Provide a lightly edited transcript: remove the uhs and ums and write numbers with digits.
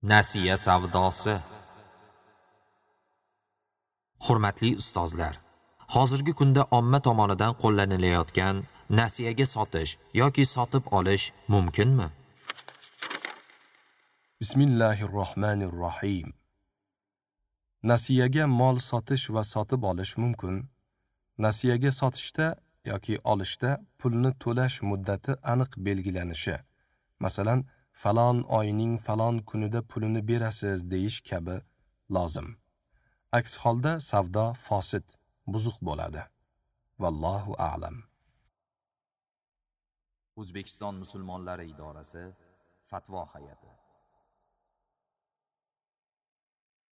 Nasiya savdosi. Hurmatli ustozlar, hozirgi kunda omma tomonidan qo'llanilayotgan nasiyaga sotish yoki sotib olish mumkinmi? Bismillahirrohmanirrohim. Nasiyaga mol sotish va sotib olish mumkin. Nasiyaga sotishda yoki olishda pulni to'lash muddati aniq belgilanishi, masalan, falon oyning falon kunida pulini berasiz deyish kabi lozim. Aks holda savdo fosid, buzuq bo'ladi. Vallohu a'lam. O'zbekiston musulmonlari idorasi Fatvo hay'ati.